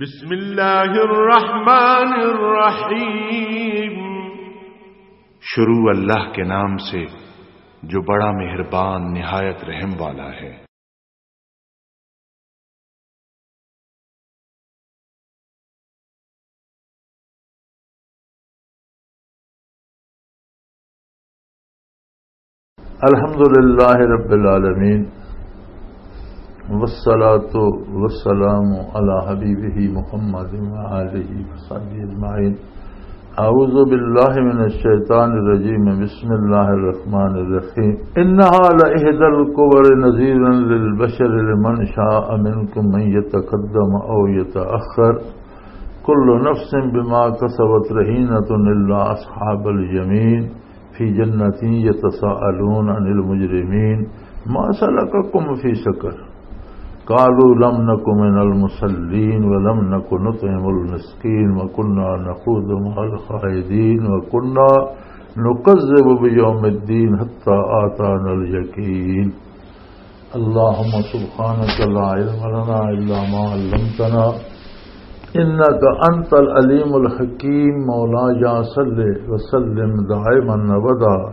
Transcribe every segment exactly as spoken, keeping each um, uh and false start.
بسم اللہ الرحمن الرحیم۔ شروع اللہ کے نام سے جو بڑا مہربان نہایت رحم والا ہے۔ الحمد لله رب العالمين، والصلاة والسلام على حبيبه محمد وآله وصحبه أجمعين. أعوذ بالله من الشيطان الرجيم. بسم الله الرحمن الرحيم. إنها لإحدى الكبر، نذيرا للبشر، لمن شاء منكم أن يتقدم أو يتأخر. كل نفس بما كسبت رهينة إلا أصحاب اليمين في جنة يتساءلون عن المجرمين ما سلككم في سقر؟ قالوا لم نك من المصلين ولم نك نطعم المسكين وكنا نخوض مع الخائضين وكنا نكذب بيوم الدين حتى أتانا اليقين. اللهم سبحانك لا علم لنا إلا ما علمتنا إنك أنت العليم الحكيم. مولاي صل وسلم دائما أبدا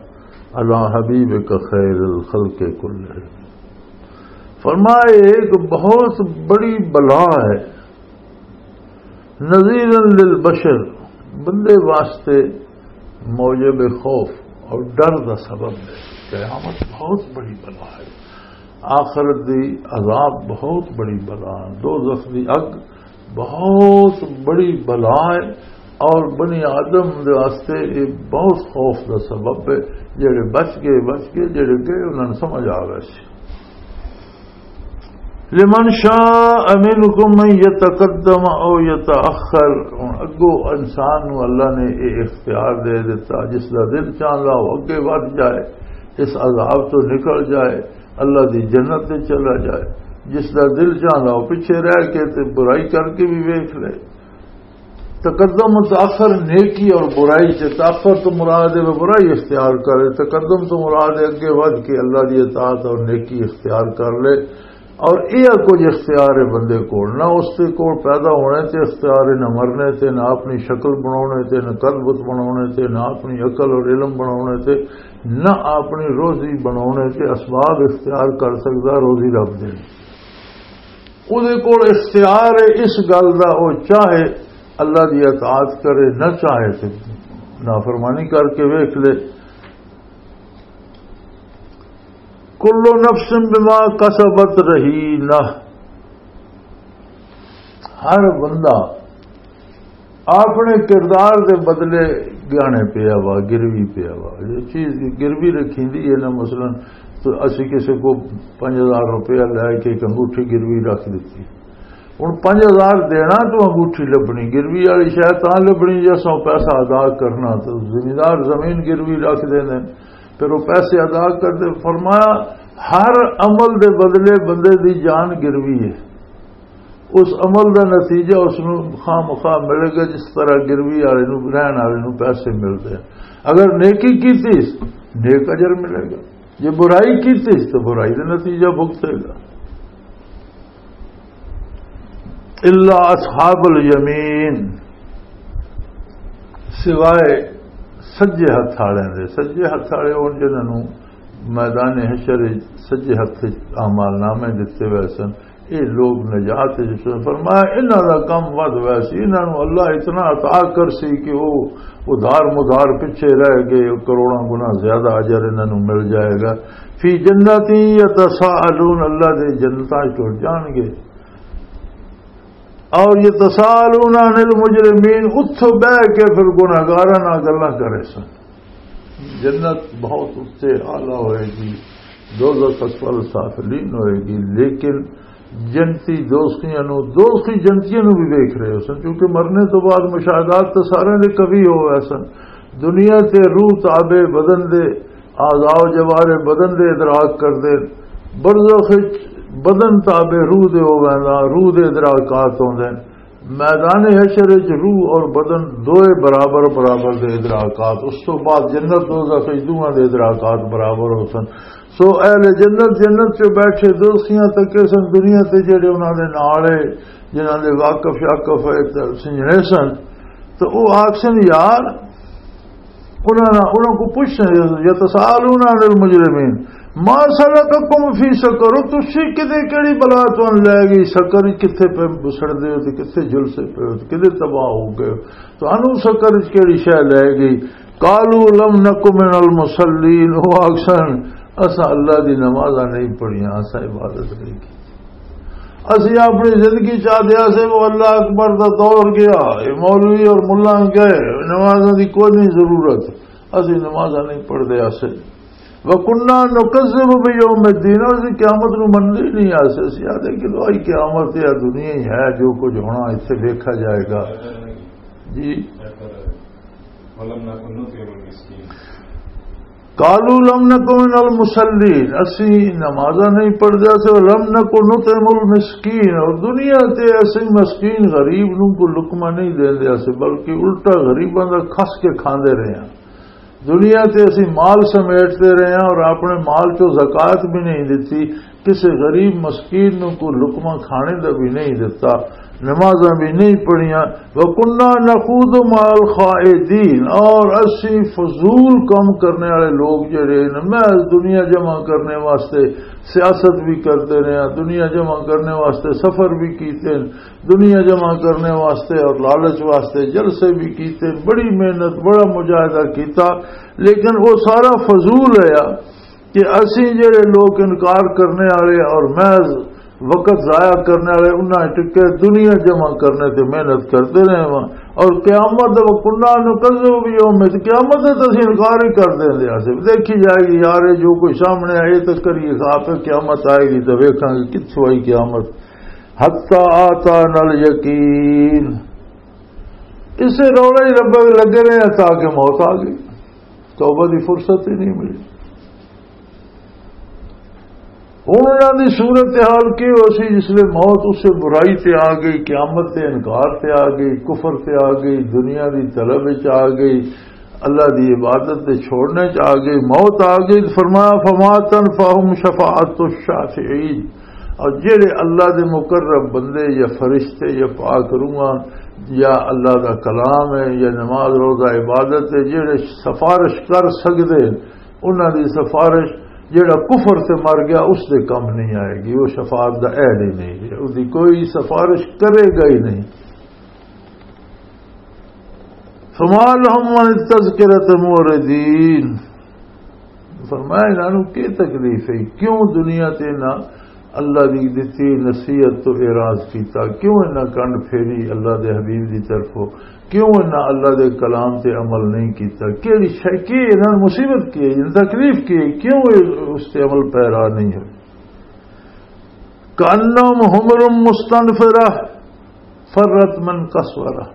على حبيبك خير الخلق كلهم. فرمائے، ایک بہت بڑی بلا ہے، نذیرا للبشر، بندے واسطے موجب خوف اور ڈر دا سبب ہے۔ قیامت بہت بڑی بلا ہے، آخرت دی عذاب بہت بڑی بلا ہے، دوزخ دی اگ بہت بڑی بلا ہے، اور بنی آدم دے واسطے یہ بہت خوف دا سبب ہے۔ جڑے بچ گئے بچ گئے، جڑے گئے انہاں نوں سمجھ آ گیا سی۔ لمن شاء منکم ان یتقدم او یتأخر۔ ہن اگوں انسان نوں اللہ نے یہ اختیار دے دیتا، جس دا دل چاہندا وہ اگے ودھ جائے، اس عذاب تو نکل جائے، اللہ دی جنت تے چلا جائے۔ جس دا دل چاہندا وہ پیچھے رہ کے تے برائی کر کے بھی ویکھ لے۔ تقدم و تاخر نیکی اور برائی سے، تاخر تو مراد ہے وہ برائی اختیار کرے، تقدم تو مراد ہے اگے ودھ کے اللہ دی اطاعت اور نیکی اختیار کر لے۔ اور یہ کچھ اختیار ہے بندے کول، نہ اس دے کول پیدا ہونے تے اختیار ہے، نہ مرنے تے، نہ اپنی شکل بناونے تے، نہ قد بت بناونے تے، نہ اپنی عقل اور علم بناونے تے، نہ اپنی روزی بناونے تے اسباب اختیار کر سکدا، روزی رب دے۔ اودے کول اختیار ہے اس گل دا، او چاہے اللہ دی اطاعت کرے، نہ چاہے تے نافرمانی کر کے ویکھ لے۔ کل نفس بما کسبت رہینہ، ہر بندہ اپنے کردار دے بدلے گانے پیا وا، گروی پیا وا۔ یہ چیز گروی رکھی دی ہے نا، مثلاً تو اسی کسی کو پنج ہزار روپیہ لے کے ایک انگوٹھی گروی رکھ دیتی، ہن پنج ہزار دینا تو انگوٹھی لبنی، گروی والی شاید تاں لبنی جے اساں پیسہ ادا کرنا۔ تو زمیندار زمین گروی رکھ دیندے، پھر وہ پیسے ادا کردے۔ فرمایا، ہر عمل دے بدلے بندے دی جان گروی ہے۔ اس عمل دا نتیجہ اس نوں خواہ مخواہ ملے گا، جس طرح گروی والے نوں، رہن والے نوں پیسے ملدے ہیں۔ اگر نیکی کیتی، نیک اجر ملے گا۔ جے برائی کیتی، تو برائی دا نتیجہ بھگتے گا۔ الا اصحاب الیمین، سوائے سجے ہتھ والے دے۔ سجے ہتھ والے ہون جنہاں نوں میدان حشر وچ سجے ہتھ وچ اعمال نامے دتے ہوئے سن، یہ لوگ نجات وچ سن۔ فرمایا، انہاں دا کم ود ہویا سی، انہاں نوں اللہ اتنا عطا کر سی کہ وہ ادھار مدھار پیچھے رہ گئے، کروڑاں گنا زیادہ اجر انہاں نوں مل جائے گا۔ فی جنات یتساءلون، اللہ دے جنتاں چ ٹر جان گے۔ اور یتساءلون عن المجرمین، اتھوں بہ کے پھر گناہگاراں نال گلاں کرے سن۔ جنت بہت اچے اعلیٰ ہوئے گی، دوزخ اسفل سافلین ہوئے گی، لیکن جنتی دوزخیاں نو، دوزخی جنتیاں نو بھی ویکھ رہے ہو سن، کیونکہ مرنے تو بعد مشاہدات تو سارے دے کبھی ہو گئے سن۔ دنیا تے روح تابع بدن دے، اعضاء و جوارح بدن دے ادراک کر دے، برزخ وچ بدن تابع روح دے ہو گئے، روح دے ادراکات ہوندے۔ میدان حشر وچ روح اور بدن دوئے برابر برابر دے ادراکات، اس تو بعد جنت دوزخ وچ دوواں دے ادراکات برابر ہو سن۔ سو اہل جنت جنت چ بیٹھے دوستیاں تکے سن، دنیا تے جڑے انہاں دے نال ہے، جنہاں دے واقف شاقف ہے تے سنجنے سن، تو او آکھ سن، یار، انہاں نا، انہاں کو پوچھنا، یتساءلون عن المجرمین، ما سلککم فی سقر، تسی کدے کیڑی بلا تانوں لے گئی سقر، کتھے پہ بسڑ دے ہو تے کتھے جلسے پہ ہو تے کدے تباہ ہو گئے ہو، تانوں سقر وچ کیڑی شے لے گئی؟ قالوا لم نک من المصلین، وہ آکھسن، اساں اللہ دی نمازاں نہیں پڑھیاں، اساں عبادت نہیں کی۔ اسی اپنی زندگی چاہتے ہیں سے وہ اللہ اکبر دا دور گیا، یہ مولوی اور ملا گئے، نمازاں دی کوئی نہیں ضرورت، اسی نمازاں نہیں پڑھتے آسے۔ وَكُنَّا نُكَذِّبُ بِيَوْمِ الدِّينِ، اور اسی قیامت نو مننے نہیں آسے، اسی آدھے کہ لو آئی قیامت یا دنیا ہی ہے، جو کچھ ہونا اسے دیکھا جائے گا۔ جی۔ قالوا لم نک من المصلین، اسی نمازاں نہیں پڑھدے سے، لم نک نطعم المسکین، اور دنیا تے اسی مسکین غریب نوں کو لقمہ نہیں دیندے سے، بلکہ الٹا غریباں دا کھس کے کھاندے رہے ہیں۔ دنیا تے اسی مال سمیٹتے رہے ہیں اور اپنے مال چوں زکوٰۃ بھی نہیں دتی، کسے غریب مسکین نوں کوئی لقمہ کھانے دا بھی نہیں دتا، نمازاں بھی نہیں پڑھیاں۔ وَكُنَّا نَخُوضُ مَعَ الْخَائِضِينَ، اور اسی فضول کام کرنے والے لوگ جڑے نے، محض دنیا جمع کرنے واسطے سیاست بھی کرتے رہے ہیں، دنیا جمع کرنے واسطے سفر بھی کیتے ہیں، دنیا جمع کرنے واسطے اور لالچ واسطے جلسے بھی کیتے ہیں، بڑی محنت، بڑا مجاہدہ کیتا، لیکن وہ سارا فضول ہے۔ کہ اسی جڑے لوگ انکار کرنے والے اور محض وقت ضائع کرنے والے، انہاں ٹکے دنیا جمع کرنے تے محنت کرتے رہے ہاں، اور قیامت، وَكُنَّا نُكَذِّبُ بِيَوْمِ الدِّينِ، قیامت تے اسی انکار ہی کر دیندے ہاں۔ صرف دیکھی جائے گی، یار، یہ جو کوئی سامنے آئے تو کریے، آپ قیامت آئے گی تو ویکھاں گے کتھوں آئی قیامت۔ حَتَّىٰ أَتَانَا الْيَقِينُ، اسے رولا ہی رب لگے رہے ہیں تاکہ موت آ گئی، توبہ دی فرصت ہی نہیں ملی۔ ہن انہاں دی صورتحال کی ہو سی؟ جس لے موت اسے برائی تے آ گئی، قیامت تے انکار تے آ گئی، کفر تے آ گئی، دنیا دی طلب وچ آ گئی، اللہ دی عبادت دے چھوڑنے چ آ گئی، موت آ گئی۔ فرمایا، فما تنفعہم شفاعت الشافعین، اور جڑے اللہ دے مقرب بندے یا فرشتے یا پاک روحاں یا اللہ دا کلام ہے یا نماز روزہ عبادت ہے، جڑے سفارش کر سکدے، انہاں دی سفارش، جڑا کفر تے مر گیا، اس دے کم نہیں آئے گی، وہ شفاعت دا اہل ہی نہیں ہے، اس دی کوئی سفارش کرے گا ہی نہیں۔ فما لهم عن التذکرۃ معرضین۔ فرمایا، انہاں نوں کی تکلیف ہے؟ کیوں دنیا تے نہ اللہ دی دتی نصیحت تو اعراض کیتا؟ کیوں انہاں کنڈ پھیری اللہ دے حبیب دی طرفوں؟ کیوں انہاں اللہ دے کلام تے عمل نہیں کیتا؟ کیڑی شے، کی انہاں نوں مصیبت کی ہے؟ انہاں تکلیف کی ہے؟ کیوں یہ اس تے عمل پیرا نہیں ہوئے؟ کأنہم حمر مستنفرہ فرت من قسورہ۔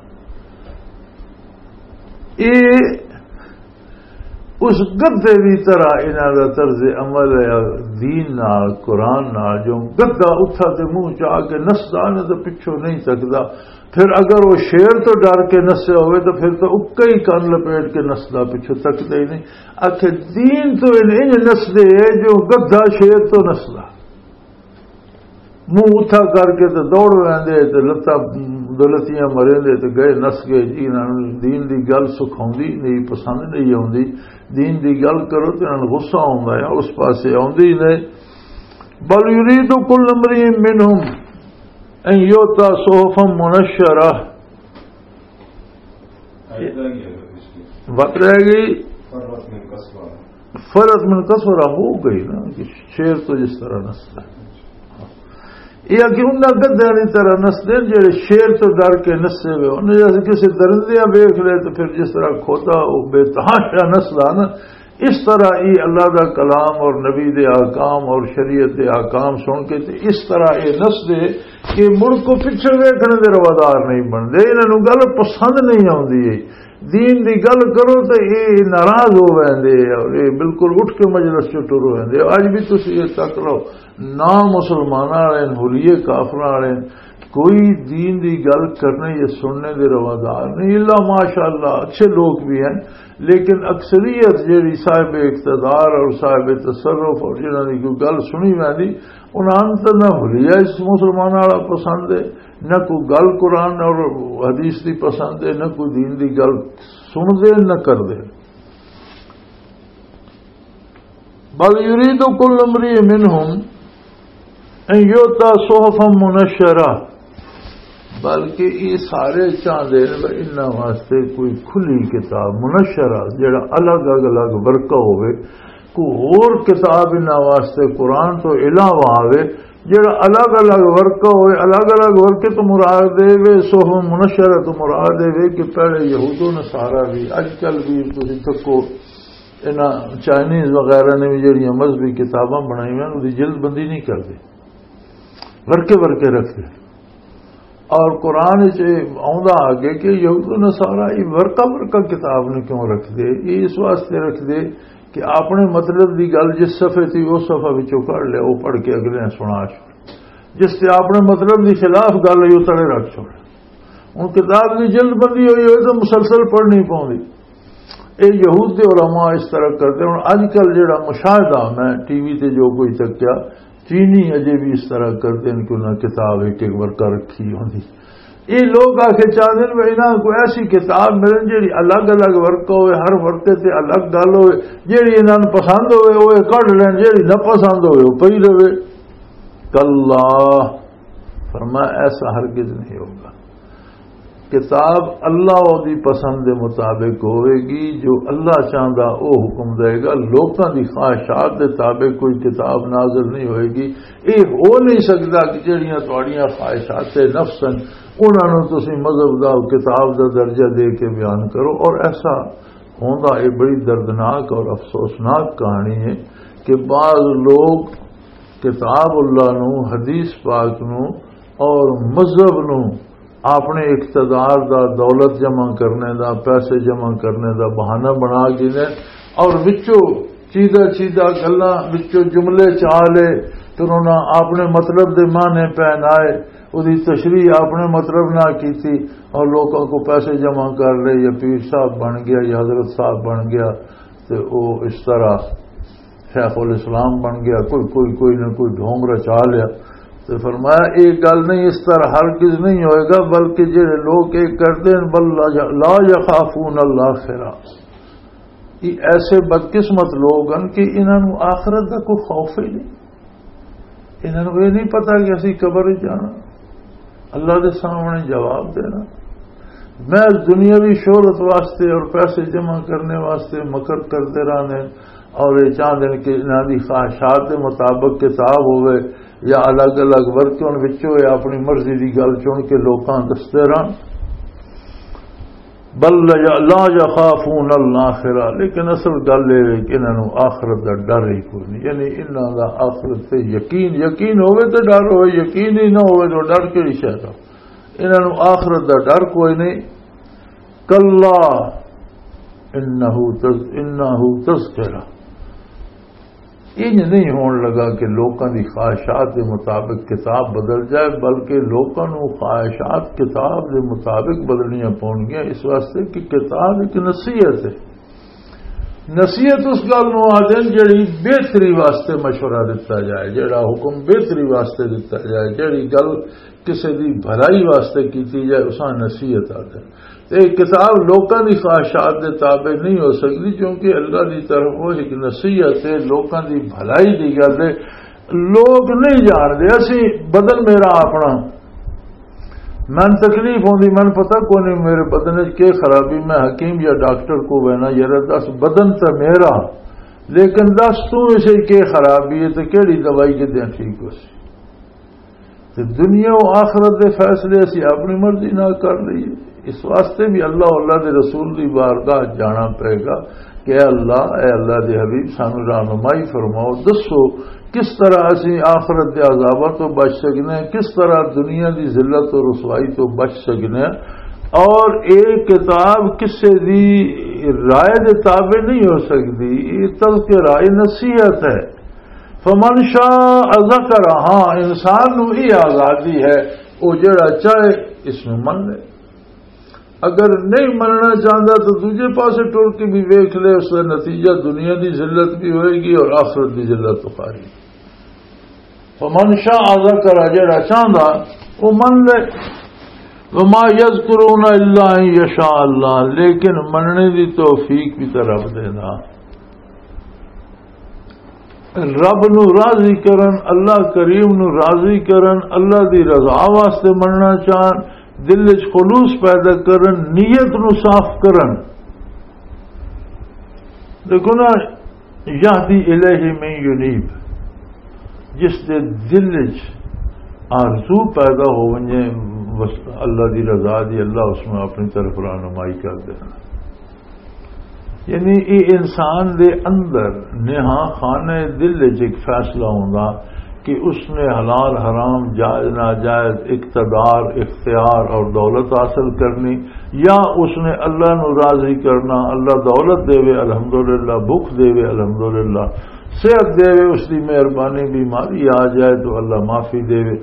یہ اس گدھے دی طرح انہاں دا طرز عمل ہے، دین نال، قرآن نال۔ جو گدھا اتھا تے منہ چا کے نسدا، انہاں دے پچھوں نہیں تکدا۔ پھر اگر وہ شیر تو ڈر کے نسیا ہوئے تو پھر تو اکا ہی کن لپیٹ کے نسدا، پچھوں تکدا ہی نہیں۔ آخر دین تو ان انج نسدے جو گدھا شیر تو نسدا۔ منہ اتھا کر کے تے دوڑ ویندے تے لتاں، دو لتیاں مریندے تے گئے، نس گئے جی۔ انہاں نوں دین دی گل سکھاوندی نہیں، پسند نہیں آوندی۔ دین دی گل کرو تے انہاں نوں غصہ آوندا ہے، اس پاسے آوندی نہیں۔ بل یرید کل امرئ منہم ان یؤتی صحفا منشرہ۔ وت رہ گئی۔ فرت من قسورہ ہو گئی نا، کہ شیر تو جس طرح نسدا ہے۔ یہ کہ انہاں گدھیاں دی طرح نسدے نے جڑے شیر تو ڈر کے نسے ہوئے۔ انہاں جیسے کسی درندے ویکھ لے تو پھر جس طرح کھوتا وہ بے تحاشا نسدا نا، اس طرح ہی اللہ دا کلام اور نبی دے احکام اور شریعت دے احکام سن کے تے اس طرح یہ نسدے کہ مڑ کو پچھے ویکھنے دے روادار نہیں بندے، انہاں نوں گل پسند نہیں آوندی ہے۔ دین دی گل کرو تے یہ ناراض ہو ویندے اور یہ بالکل اٹھ کے مجلس چوں ٹر ویندے۔ اج بھی تسی یہ تک لو، نہ مسلماناں والے نے، حلیے کافراں والے نے، کوئی دین دی گل کرنے یا سننے دے روادار نہیں، الا ماشاءاللہ اچھے لوگ بھی ہیں، لیکن اکثریت جیڑی صاحب اقتدار اور صاحب تصرف اور جنہاں دی کوئی گل سنی ویندی، انہاں نوں تے نہ حلیہ اس مسلمان والا پسند ہے، نہ کوئی گل قرآن اور حدیث دی پسند ہے، نہ کوئی دین دی گل سن دے نہ کر دے۔ بل یرید کل امرئ منہم ان یؤتی صحفا منشرہ، بلکہ یہ سارے چاہتے ہیں کہ انہاں واسطے کوئی کھلی کتاب منشرہ، جڑا الگ الگ ورقہ ہوئے، کوئی ہور کتاب انہاں واسطے قرآن تو علاوہ آوے، جڑا الگ الگ ورقہ ہوئے۔ الگ الگ ورقے تو مراد دے وے، صحف منشرہ تو مراد دے وے کہ پہلے یہود و نصارہ بھی، اج کل بھی تسی تکو، انہاں چائنیز وغیرہ نے بھی جڑیاں مذہبی کتاباں بنائی ہوئے، انہاں دی جلد بندی نہیں کردے، ورقے ورقے رکھدے۔ اور قرآن وچ یہ آوندا آگے کہ یہود و نصارہ یہ ورقہ ورقہ کتاب نوں کیوں رکھدے؟ یہ اس واسطے رکھدے کہ اپنے مطلب دی گل جس صفحے تھی، اس صفحے وچوں کڈ لیا، وہ پڑھ کے اگلے نوں سنا چھوڑ، جس تے اپنے مطلب دی خلاف گل ہوئی، وہ تلے رکھ چھوڑ۔ ہن کتاب دی جلد بندی ہوئی ہوئے تو مسلسل پڑھنی پوندی۔ اے یہود دے علماء اس طرح کردے۔ ہن اج کل جڑا مشاہدہ میں ٹی وی تے جو کوئی تکیا، چینی اجے بھی اس طرح کردے ہیں کہ انہاں کتاب ایک ایک ورقہ رکھی ہوندی۔ یہ لوگ آ کے چاہتے ہیں کہ انہاں کو ایسی کتاب ملن جڑی الگ الگ ورقہ ہوئے، ہر ورقے تے الگ گل ہوئے، جڑی انہاں نوں پسند ہوئے وہ کڈ لین، جڑی نہ پسند ہوئے وہ پئی رہے۔ کلا، فرمایا ایسا ہرگز نہیں ہوگا۔ کتاب اللہ دی پسند دے مطابق ہوئے گی، جو اللہ چاہندا او حکم دے گا۔ لوکاں دی خواہشات دے تابع کوئی کتاب نازل نہیں ہوئے گی۔ یہ ہو نہیں سکتا کہ جڑیاں تہاڈیاں خواہشات نفس ہیں، انہاں نوں تسی مذہب دا، کتاب دا درجہ دے کے بیان کرو۔ اور ایسا ہوندا، یہ بڑی دردناک اور افسوسناک کہانی ہے کہ بعض لوگ کتاب اللہ نو، حدیث پاک نو اور مذہب نو اپنے اقتدار دا، دولت جمع کرنے دا، پیسے جمع کرنے دا بہانہ بنا گئے اور وچوں چیدہ چیدہ گلاں وچوں جملے چا لے، پھر انہاں اپنے مطلب دے معنی پہنائے، اودی تشریح اپنے مطلب نہ کیتی اور لوکاں کو پیسے جمع کر لے، یا پیر صاحب بن گیا یا حضرت صاحب بن گیا، تے او اس طرح شیخ الاسلام بن گیا، کوئی کوئی کوئی نہ کوئی ڈھونگ رچا لیا۔ تو فرمایا، یہ گل نہیں، اس طرح ہرگز نہیں ہوئے گا، بلکہ جڑے لوگ یہ کرتے ہیں، بل لا یخافون الاخرہ، یہ ایسے بدقسمت لوگ ہیں کہ انہاں نوں آخرت دا کوئی خوف ہی نہیں۔ انہاں نوں یہ نہیں پتا کہ اسی قبر وچ جانا، اللہ دے سامنے جواب دینا۔ محض دنیاوی شہرت واسطے اور پیسے جمع کرنے واسطے مکر کرتے رہنے، اور یہ چاہتے ہیں کہ انہاں دی خواہشات دے مطابق کتاب ہوئے یا الگ الگ ورقے، ان وچوں یہ اپنی مرضی دی گل چن کے لوکاں دستے رہن۔ بل لا یخافون الاخرہ، لیکن اصل گل یہ ہے کہ انہاں نوں آخرت دا ڈر ہی کوئی نہیں۔ یعنی انہاں دا آخرت تے یقین، یقین ہوئے تے ڈر ہوئے، یقین ہی نہ ہوئے تو ڈر کیڑی شے دا؟ انہاں نوں آخرت دا ڈر کوئی نہیں۔ کلا انہ تذ-، انہ تذکرہ، انج نہیں ہون لگا کہ لوکاں دی خواہشات دے مطابق کتاب بدل جائے، بلکہ لوکاں نوں خواہشات کتاب دے مطابق بدلنیاں پونگیاں، اس واسطے کہ کتاب ایک نصیحت ہے۔ نصیحت اس گل نوں آدھے جڑی بہتری واسطے مشورہ دتا جائے، جڑا حکم بہتری واسطے دتا جائے، جڑی گل کسے دی بھلائی واسطے کیتی جائے، اساں نصیحت آدھے۔ تے کتاب لوکاں دی خواہشات دے تابع نہیں ہو سکدی، کیونکہ اللہ دی طرفوں ایک نصیحت ہے، لوکاں دی بھلائی دی گل ہے۔ لوگ نہیں جاندے، اسی بدن میرا اپنا، من تکلیف ہوندی، من پتہ کوئی نہیں میرے بدن وچ کی خرابی، میں حکیم یا ڈاکٹر کو وینا، یار دس بدن تے میرا، لیکن دس تو اسے کی خرابی ہے تے کیڑی دوائی کے دیں ٹھیک ہو سی؟ تے دنیا و آخرت دے فیصلے اسی اپنی مرضی نال کر لئیے۔ اس واسطے بھی اللہ، اللہ دے رسول دی بارگاہ جانا پئے گا کہ اے اللہ، اے اللہ دے حبیب، سانو رہنمائی فرماؤ، دسو کس طرح اسی آخرت دے عذاباں تو بچ سکنے ہیں، کس طرح دنیا دی ذلت و رسوائی تو بچ سکنے ہیں۔ اور اے کتاب کسے دی رائے دے تابع نہیں ہو سکدی، یہ تذکرہ، یہ نصیحت ہے۔ فمن شاء ذکر، ہاں، انسان نو یہ آزادی ہے وہ جڑا چاہے اس میں من لے، اگر نہیں مننا چاہتا تو دوجے پاسے ٹر کے بھی ویکھ لے، اس کا نتیجہ دنیا دی ذلت بھی ہوئے گی اور آخرت دی ذلت تو خارج۔ فمن شاء ذکر، جڑا چاہتا وہ من لے۔ وما یذکرون الا ان یشاء اللہ، لیکن مننے دی توفیق بھی تو رب دینا۔ رب نو راضی کرن، اللہ کریم نو راضی کرن، اللہ دی رضا واسطے مننا چاہن، دل وچ خلوص پیدا کرن، نیت نو صاف کرن۔ دیکھو نا، یہدی الیہ من ینیب، جس دے دل وچ آرزو پیدا ہو ونجے، بس اللہ دی رضا دی، اللہ اس میں اپنی طرف رہنمائی کر دینا۔ یعنی یہ انسان دے اندر نہاں خانہ دل وچ ایک فیصلہ ہوندا کہ اس نے حلال حرام، جائز ناجائز، اقتدار، اختیار اور دولت حاصل کرنی، یا اس نے اللہ نو راضی کرنا، اللہ دولت دے وے الحمدللہ، بھوک دے وے الحمدللہ، صحت دے وے، اس دی مہربانی، بیماری آ جائے تو اللہ معافی دے وے،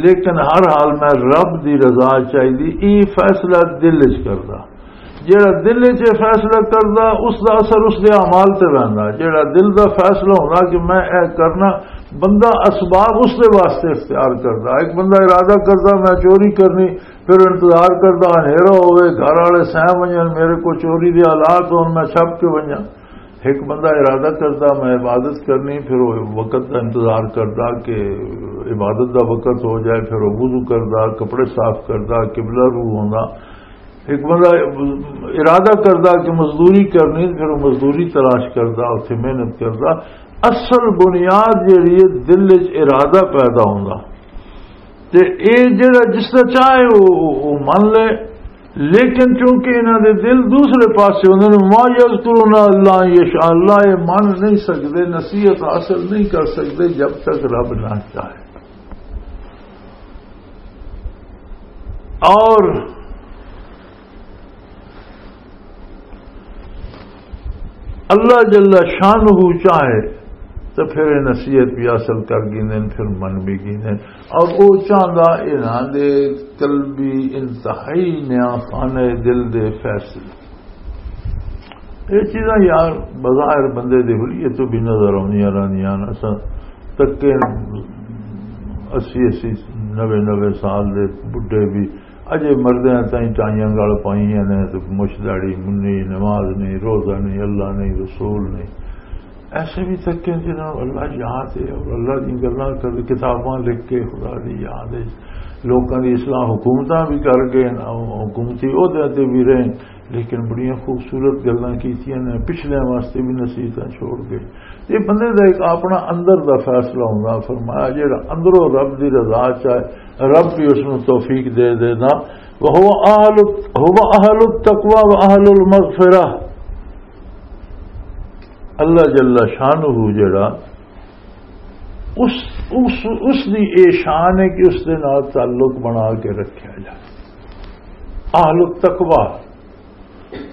لیکن ہر حال میں رب دی رضا چاہیے، یہ فیصلہ دل وچ کردا۔ جیڑا دل وچ یہ فیصلہ کردا، اس دا اثر اس دے اعمال تے ویندا۔ جیڑا دل دا فیصلہ ہوندا کہ میں اے کرنا، بندہ اسباب اس دے واسطے اختیار کردا۔ ایک بندہ ارادہ کردا میں چوری کرنی، پھر انتظار کردا ہنیرا ہوئے، گھر والے سہ ونجن، میرے کو چوری دے حالات ہون، میں چھپ کے ونجاں۔ ایک بندہ ارادہ کردا میں عبادت کرنی، پھر وہ وقت دا انتظار کردا کہ عبادت دا وقت ہو جائے، پھر وہ وضو کردا، کپڑے صاف کردا، قبلہ رو ہوندا۔ ایک بندہ ارادہ کردا کہ مزدوری کرنی، پھر وہ مزدوری تلاش کردا، اتھے محنت کردا۔ اصل بنیاد جیڑی ہے، دل وچ ارادہ پیدا ہوندا۔ تے اے جڑا جس دا چاہے او، او، او من لے، لیکن چونکہ انہاں دے دل دوسرے پاسے ہوندے نے، ما یذکرون اللہ یشاء، اللہ یہ من نہیں سکدے، نصیحت حاصل نہیں کر سکدے جب تک رب نہ چاہے۔ اور اللہ جل شانہ چاہے تو پھر یہ نصیحت بھی حاصل کر گیندے نے، پھر من بھی گیندے نے۔ اور وہ چاہتا انہاں دے قلبی انتہائی نیا خانہ دل دے فیصلے۔ یہ چیزاں یار بظاہر بندے دے حلیے تو بھی نظر آؤندیاں رہندیاں نے۔ اساں تکے اسی اسی، نوے نوے سال دے بڈھے بھی اجے مردیاں تائیں ٹائیاں گل پائیاں نے تے مچ داڑھی منی، نماز نہیں، روزہ نہیں، اللہ نہیں، رسول نہیں۔ ایسے بھی تکے جنہاں نوں اللہ یاد ہے اور اللہ دی گلاں کر، کتاباں لکھ کے خدا دی یاد ہے، لوکاں دی اصلاح حکومتاں بھی کر گئے، حکومتی عہدے تے بھی رہے، لیکن بڑیاں خوبصورت گلاں کیتیاں نے، پچھلیاں واسطے بھی نصیحتاں چھوڑ گئے۔ یہ بندے دا ایک اپنا اندر دا فیصلہ ہوندا۔ فرمایا جڑا اندروں رب دی رضا چاہے، رب بھی اس نوں توفیق دے دینا۔ وَهُوَ أَهْلُ، هُوَ أَهْلُ التَّقْوَى وَأَهْلُ الْمَغْفِرَةِ۔ اللہ جل شانہ جڑا اس، اس، اس دی اے شان ہے کہ اس دے نال تعلق بنا کے رکھیا جائے۔ اہل التقوی،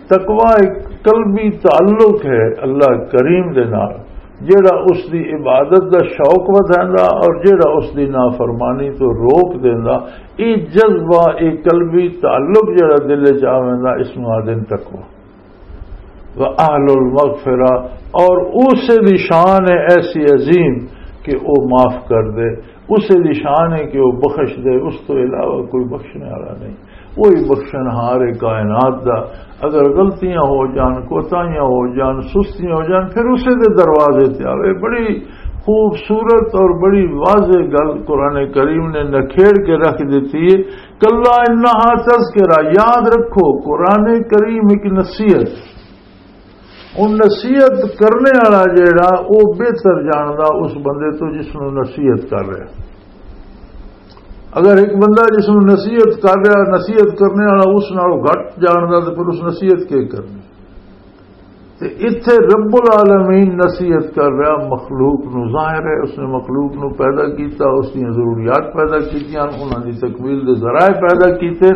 تقوی ایک قلبی تعلق ہے اللہ کریم دے نال، جڑا اس دی عبادت دا شوق ودھیندا اور جڑا اس دی نافرمانی تو روک دیندا۔ اے جذبہ، اے قلبی تعلق جڑا دل وچ آ ویندا، اس نوں آدن تقوی۔ و اہل المغفرہ، اور اسے دی شان ہے ایسی عظیم کہ وہ معاف کر دے، اسے دی شان ہے کہ وہ بخش دے، اس تو علاوہ کوئی بخشنے والا نہیں۔ وہی بخشن ہار ہے کائنات دا۔ اگر غلطیاں ہو جان، کوتاہیاں ہو جان، سستیاں ہو جان، پھر اسے دے دروازے تے آوے۔ بڑی خوبصورت اور بڑی واضح گل قرآن کریم نے نکھیڑ کے رکھ دیتی ہے۔ کلا انہا تذکرہ، یاد رکھو، قرآن کریم ایک نصیحت۔ ان نصیحت کرنے والا جیڑا، وہ بہتر جاندا اس بندے تو جس نوں نصیحت کر رہا۔ اگر ایک بندہ جس نوں نصیحت کر رہا، نصیحت کرنے والا اس نالوں گھٹ جاندا، تو پھر اس نصیحت کی کرنی؟ تے اتھے رب العالمین نصیحت کر رہا مخلوق نو۔ ظاہر ہے اس نے مخلوق نو پیدا کیتا، اس دیاں ضروریات پیدا کیتیاں، انہاں دی تکمیل دے ذرائع پیدا کیتے۔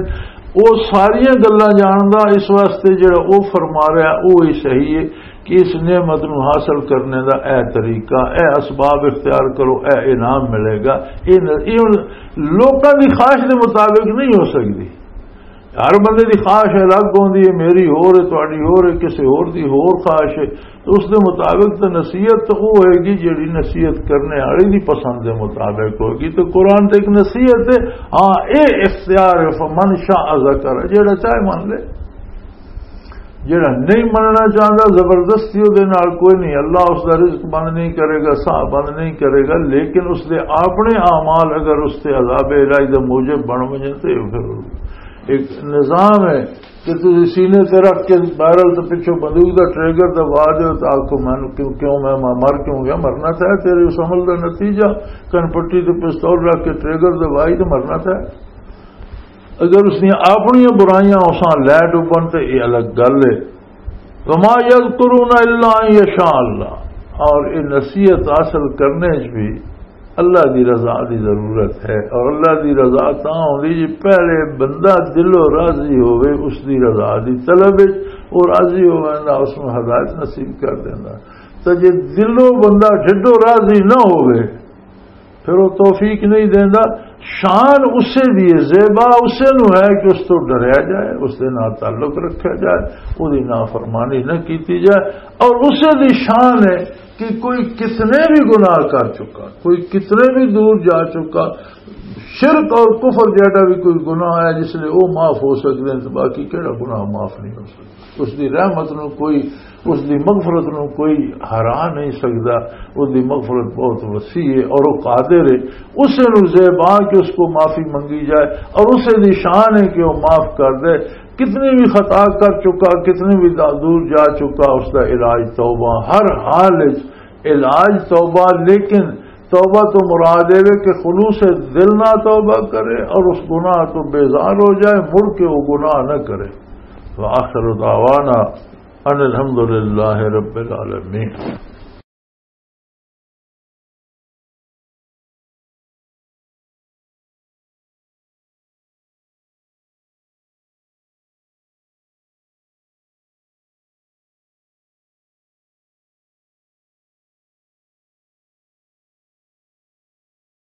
او ساریاں گلاں جاندا، اس واسطے جڑا او فرما رہا او ہی صحیح ہے۔ کہ اس نعمت نو حاصل کرنے دا اے طریقہ، اے اسباب اختیار کرو، اے انعام ملے گا۔ اے ن-، اے ہن لوکاں دی خواہش دے مطابق نہیں ہو سکدی۔ ہر بندے دی خواہش الگ ہوندی ہے، میری ہور ہے، تہاڈی ہور ہے، کسے ہور دی ہور خواہش ہے۔ تو اس دے مطابق تو نصیحت تو وہ ہوئے گی جڑی نصیحت کرنے والی دی پسند دے مطابق ہوئے گی۔ تو قرآن تے ایک نصیحت ہے، ہاں، اے اختیار ہے، فمن شاء ذکر، جڑا چاہے من لے۔ جڑا نہیں مننا چاہتا، زبردستی دے نال کوئی نہیں، اللہ اس دا رزق بند نہیں کرے گا، ساہ بند نہیں کرے گا، لیکن اس دے اپنے اعمال اگر اس تے عذاب الہی دا موجب بن وجن تے پھر ایک نظام ہے کہ تسی سینے تے رکھ کے بیرل تے پچھوں بندوق دا ٹریگر دبا دیو، تو آکھو، "مینوں کیوں، کیوں میں، میں مر کیوں گیا؟" مرنا تھا، تیرے اس عمل دا نتیجہ، کن پٹی تے پستول رکھ کے ٹریگر دبائی تو مرنا تھا۔ اگر اس نے اپنی برائیاں اساں لے ڈبن تے یہ الگ گل ہے۔ وما یذکرون الا ان یشاء اللہ، اور یہ نصیحت حاصل کرنے چ بھی اللہ دی رضا دی ضرورت ہے، اور اللہ دی رضا تاں ہوندی جے پہلے بندہ دلوں راضی ہوئے اس دی رضا دی طلب وچ، وہ راضی ہوئے نہ اس نوں ہدایت نصیب کر دیندا۔ تے جے دلوں بندہ ڈھڈوں راضی نہ ہوئے، پھر وہ توفیق نہیں دیندا۔ شان اسے دی ہے، زیبا اسے نو ہے کہ اس تو ڈریا جائے، اس دے نال تعلق رکھا جائے، وہ دی نافرمانی نہ کیتی جائے۔ اور اسے دی شان ہے کہ کوئی کتنے بھی گناہ کر چکا، کوئی کتنے بھی دور جا چکا، شرک اور کفر جیڑا بھی کوئی گناہ ہے، جس لئے وہ معاف ہو سکتے ہیں، تو باقی کہڑا گناہ معاف نہیں ہو سکتا؟ اس دی رحمت نو کوئی، اس دی مغفرت نو کوئی ہرا نہیں سکدا۔ اس دی مغفرت بہت وسیع ہے اور وہ قادر ہے۔ اسے نو زیبا کہ اس کو معافی منگی جائے اور اسے دی شان ہے کہ وہ معاف کر دے۔ کتنی بھی خطا کر چکا، کتنی بھی دا-، دور جا چکا، اس دا علاج توبہ، ہر حال وچ علاج توبہ۔ لیکن توبہ تو مراد یہ ہے کہ خلوص دل نہ توبہ کرے اور اس گناہ تو بیزار ہو جائے، مڑ کے وہ گناہ نہ کرے۔ وآخر دعوانا ان الحمد للہ رب العالمین۔